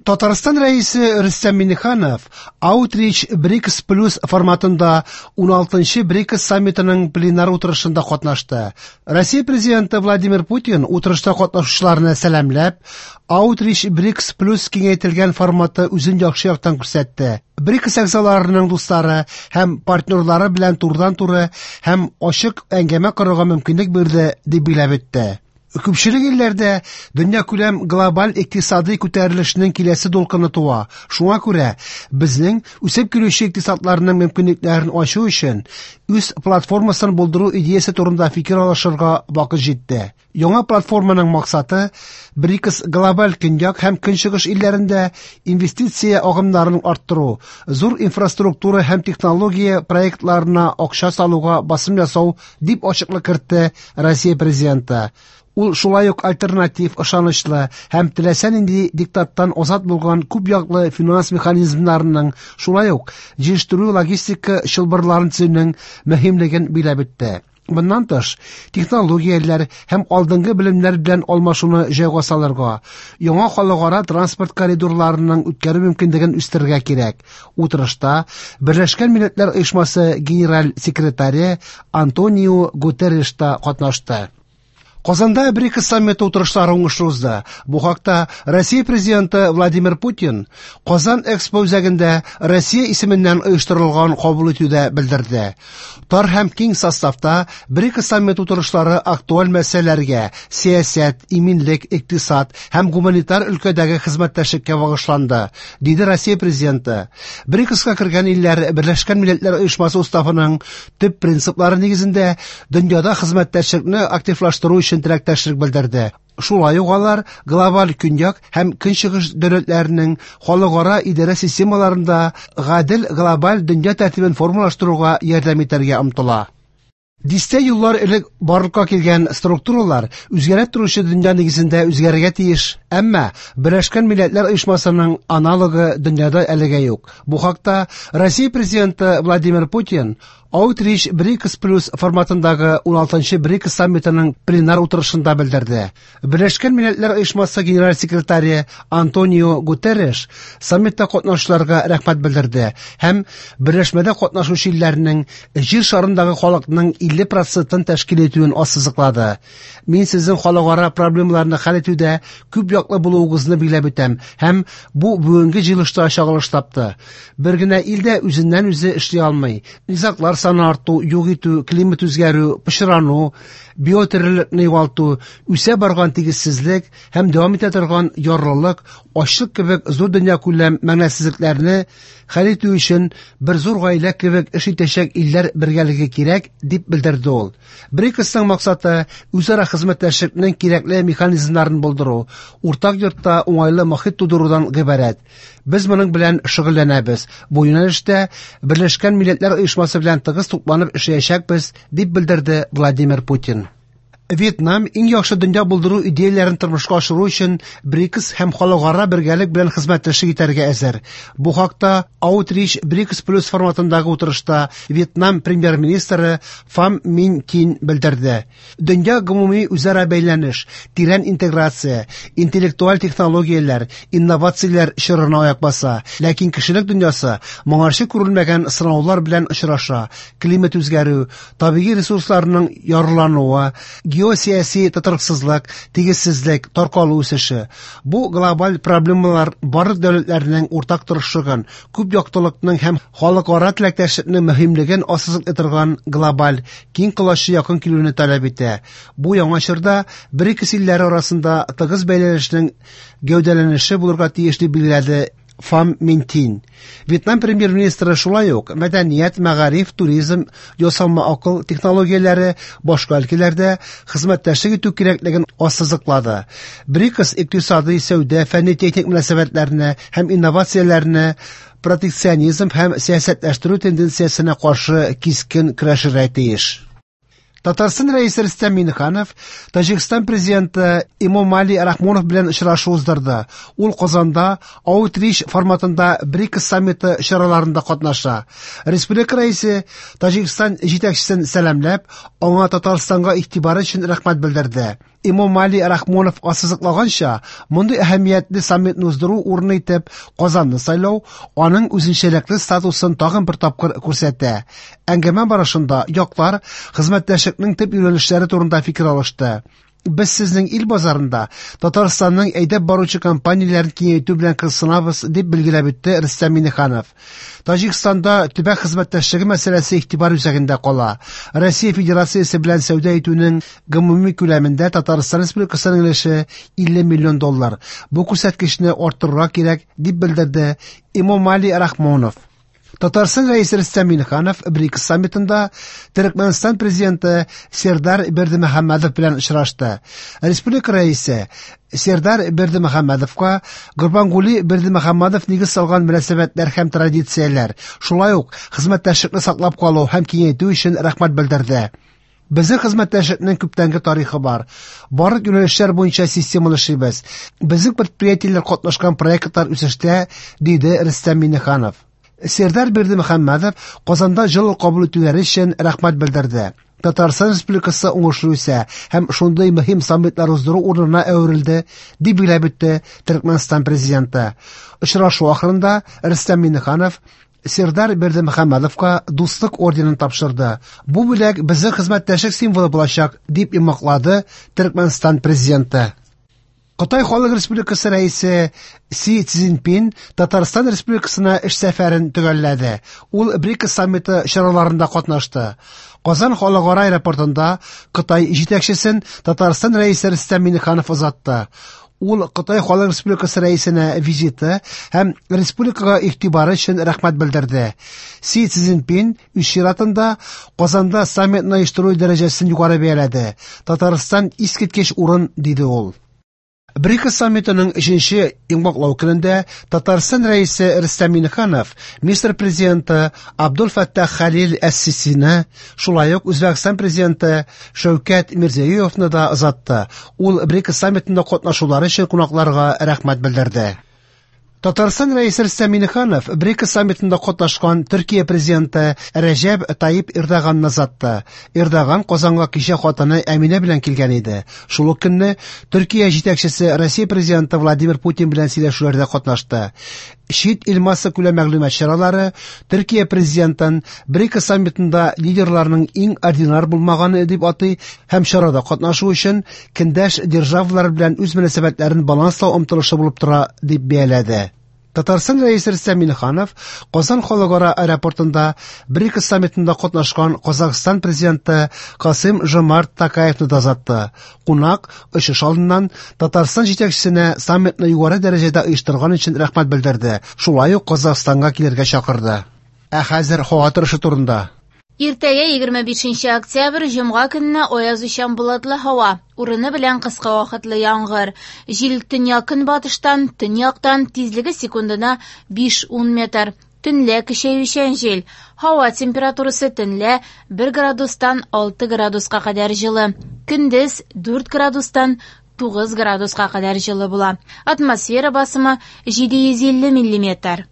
Татарстан Рәисе Рөстәм Миңнеханов Outreach BRICS Plus форматында 16-нчы BRICS саммитының пленар утырышында катнашты. Россия Президенты Владимир Путин утырышта катнашучыларны сәламләп, Outreach BRICS Plus киңәйтелгән форматы үзен яхшы яктан күрсәтте. BRICS әгъзаларының дуслары һәм партнерлары белән турыдан-туры һәм ачык әңгәмә корырга мөмкинлек бирде, дип билгеләп үтте. Күпчелек илләрдә дөньякүләм глобаль икътисадый күтәрелешнең киләсе дулкыны туа. Шуңа күрә безнең үсеп килүче икътисадларның мөмкинлекләрен ачу өчен үз платформасын булдыру идеясе турында фикер алышырга вакыт җитте. Яңа платформаның максаты БРИКС глобаль көньяк һәм көнчыгыш илләрендә инвестиция агымнарын арттыру, зур инфраструктура һәм технология проектларына акча салуга басым ясау, дип ачыклык кертте Россия Президенты. Ул шулай ук альтернатив, ышанычлы һәм теләсә нинди диктаттан азат булган күп яклы финанс механизмнарының, шулай ук җитештерү-логистика чылбырларын төзүнең мөһимлеген билгеләп үтте. Моннан тыш, технологияләр һәм алдынгы белемнәр белән алмашуны җайга салырга, яңа халыкара транспорт коридорларының үткәрү мөмкинлеген үстерергә кирәк. Утырышта Берләшкән Милләтләр Оешмасы Генераль секретаре Антонио Гутерреш та катнашты. Казанда БРИКС саммиты утырышлары уңышлы узды. Бу хакта Россия Президенты Владимир Путин Казан Экспо үзәгендә Россия исеменнән оештырылган кабул итүдә белдерде. Тар һәм киң составта БРИКС саммиты утырышлары актуаль мәсьәләләргә, сәясәт, иминлек, икътисад һәм гуманитар өлкәдәге хезмәттәшлеккә багышланды, диде Россия Президенты. БРИКСка кергән илләр Берләшкән Милләтләр Оешмасы уставының төп принциплары нигезендә дөньяда хезмәттәшлекне активлаштыру өчен теләктәшлек белдерде. Шулай ук алар глобаль көньяк һәм көнчыгыш дәүләтләренең халыкара идарә системаларында гадел глобаль дөнья тәртибен формалаштыруга ярдәм итәргә омтыла. Дистә еллар элек барлыкка килгән структуралар үзгәрә торучы дөнья нигезендә үзгәрергә тиеш, әмма Берләшкән Милләтләр Оешмасының аналогы дөньяда әлегә юк. Бу хакта Россия Президенты Владимир Путин Outreach BRICS Plus форматындагы 16-нчы BRICS саммитының пленар утырышында белдерде. Берләшкән Милләтләр Оешмасы генераль секретаре Антонио Гутерреш саммитта катнашучыларга рәхмәт белдерде һәм берләшмәдә катнашучы илләрнең җир шарындагы халыкның 50 процентын тәшкил итүен ассызыклады. Мин сезнең халыкара проблемаларны хәл итүдә күп яклы булуыгызны билгеләп үтәм һәм бу бүгенге җыелышта чагылыш тапты. Бер генә ил дә үзеннән-үзе эшли алмый. Низаглар саны арту, юк итү, климат үзгәрү, пычрану, биотөрлелекне югалту, үсә барган тигезсезлек һәм дәвам итә торган ярлылык, ачлык кебек зур дөньякүләм мәгънәсезлекләрне хәл итү өчен бер зур гаилә кебек эш итәчәк илләр бергәлеге кирәк, дип белдерде ул. БРИКСның максаты үзара хезмәттәшлекнең кирәкле механизмнарын булдыру, уртак йортта уңайлы мохит тудырудан гыйбарәт. Без моның белән шөгыльләнәбез. Бу юнәлештә Берләшкән Милләтләр Оешмасы белән тыгыз тупланып эшләячәкбез, дип белдерде Владимир Путин. Вьетнам иң яхшы дөнья булдыру идеяләрен тормышка ашыру өчен БРИКС һәм халыкара бергәлек белән хезмәттәшлек итәргә әзер. Бу хакта Outreach BRICS Plus форматындагы утырышта Вьетнам премьер-министры Фам Мин Кин белдерде. Дөнья гомуми үзара бәйләнеш, тирән интеграция, интеллектуаль технологияләр, инновацияләр чорына аяк баса. Ләкин кешелек дөньясы моңарчы күрелмәгән сынаулар белән очраша. Климат үзгәрү, табигый ресурсларның ярлануы, геосәяси тотрыксызлык, тигезсезлек, таркалу үсеше. Бу глобаль проблемалар барлык дәүләтләрнең уртак тырышлыгын, күп яктылыкның һәм халыкара теләктәшлекнең мөһимлеген ассызыклый торган глобаль, киң колачлы якын килүне таләп итә. Бу яңа чорда БРИКС илләре арасында тыгыз бәйләнешнең гәүдәләнеше булырга тиеш, дип билгеләде Фам Мин Тин. Вьетнам премьер-министры шулай ук мәдәният, мәгариф, туризм, ясалма акыл технологияләре, башка өлкәләрдә хезмәттәшлек итү кирәклеген ассызыклады. БРИКС икътисадый, сәүдә, фәнни-техник мөнәсәбәтләрне һәм инновацияләрне протекционизм һәм сәясәтләштерү тенденциясенә каршы кискен көрәшергә тиеш. Татарстан Рәисе Рөстәм Миңнеханов Таҗикстан президенты Эмомали Рахмонов белән очрашу уздырды. Ул Казанда Outreach форматында БРИКС саммиты чараларында катнаша. Республика Рәисе Таҗикстан җитәкчесен сәламләп, аңа Татарстанга игътибары өчен рәхмәт белдерде. Эмомали Рахмонов ассызыклаганча, мондый әһәмиятле саммитны уздыру урыны итеп Казанны сайлау аның үзенчәлекле статусын тагын бер тапкыр күрсәтә. Әңгәмә барышында яклар хезмәттәшлекнең төп юнәлешләре турында фикер алышты. Без сезнең ил базарында Татарстанның әйдәп баручы компанияләрен киңәйтү белән кызыксынабыз, дип билгеләп үтте Рөстәм Миңнеханов. Таҗикстанда төбәк хезмәттәшлеге мәсьәләсе игътибар үзәгендә кала. Россия Федерациясе белән сәүдә итүнең гомуми күләмендә Татарстан Республикасының өлеше 50 миллион доллар. Бу күрсәткечне арттырырга кирәк, дип белдерде Эмомали Рахмонов. Татарстан Рәисе Рөстәм Миңнеханов БРИКС саммитында Төрекмәнстан президенты Сердар Бердымөхәммәдов белән очрашты. Республика Рәисе Сердар Бердымөхәммәдовка Гурбангули Бердымөхәммәдов нигез салган мөнәсәбәтләр һәм традицияләр, шулай ук хезмәттәшлекне саклап калу һәм киңәйтү өчен рәхмәт белдерде. Безнең хезмәттәшлекнең күптәнге тарихы бар. Барлык юнәлешләр буенча системалы эшлибез. Безнең предприятиеләр катнашкан проектлар үсештә, диде Рөстәм Миңнеханов. Сердар Бердымөхәммәдов Казанда җылы кабул итүләре өчен рәхмәт белдерде. Татарстан Республикасы уңышлы үсә һәм шундый мөһим саммитлар уздыру урынына әверелде, дип билгеләп үтте Төркмәнстан президенты. Очрашу ахырында Рөстәм Миңнеханов Сердар Бердымөхәммәдовка Дуслык орденын тапшырды. Бу бүләк безнең хезмәттәшлек символы булачак, дип йомгаклады Төркмәнстан президенты. Кытай Халык Республикасы рәисе Си Цзиньпин Татарстан Республикасына эш сәфәрен төгәлләде. Ул БРИКС саммиты чараларында катнашты. Казан халыкара аэропортында Кытай җитәкчесен Татарстан рәисе Рөстәм Миңнеханов озатты. Ул Кытай Халык Республикасы рәисенә визиты һәм республикага игътибары өчен рәхмәт белдерде. Си Цзиньпин үз чиратында Казанда саммитны оештыру дәрәҗәсен югары бәяләде. Татарстан искиткеч урын, диде ул. БРИКС саммитының өченче йомгаклау көнендә Татарстан рәисе Рөстәм Миңнеханов Мисыр президенты Абдул Фәттах Хәлил әс-Сисины, шулай ук Үзбәкстан президенты Шәүкәт Мирзиёевны да озатты. Ул БРИКС саммитында катнашулары өчен кунакларга рәхмәт белдерде. Татарстан Рәисе Рөстәм Миңнеханов БРИКС саммитында катнашкан Төркия президенты Рәҗәп Тайип Эрдоганны озатты. Эрдоган Казанга кичә хатыны Әминә белән килгән иде. Шул ук көнне Төркия җитәкчесе Россия президенты Владимир Путин белән сөйләшүләрдә катнашты. Чит ил массакүләм мәгълүмат чаралары Төркия президентын БРИКС саммитында лидерларның иң ординар булмаганы дип атый һәм чарада катнашу өчен көндәш державалар белән үз мөнәсәбәтләрен баланслау омтылышы булып тора дип бәяләде. Татарстан Рәисе Рөстәм Миңнеханов Казан халыкара аэропортында БРИКС саммитында катнашкан Казахстан президенты Касым Жомарт Токаевны да озатты. Кунак очыш алдыннан Татарстан җитәкчесенә саммитны югары дәрәҗәдә оештырган өчен рәхмәт белдерде. Шулай ук Казахстанга килергә чакырды. Ә хәзер һава торышы турында. Иртәгә 25 октябрь җомга көнне аязучан болытлы һава, урыны белән кыска вакытлы яңгыр. Җил төньяк-көнбатыштан, төньяктан, тизлеге секундына 5-10 метр. Төнлә көчәючән җил. Һава температурасы төнлә 1 градустан 6 градуска кадәр җылы. Көндез 4 градустан 9 градуска кадәр җылы була. Атмосфера басымы 750 миллиметр.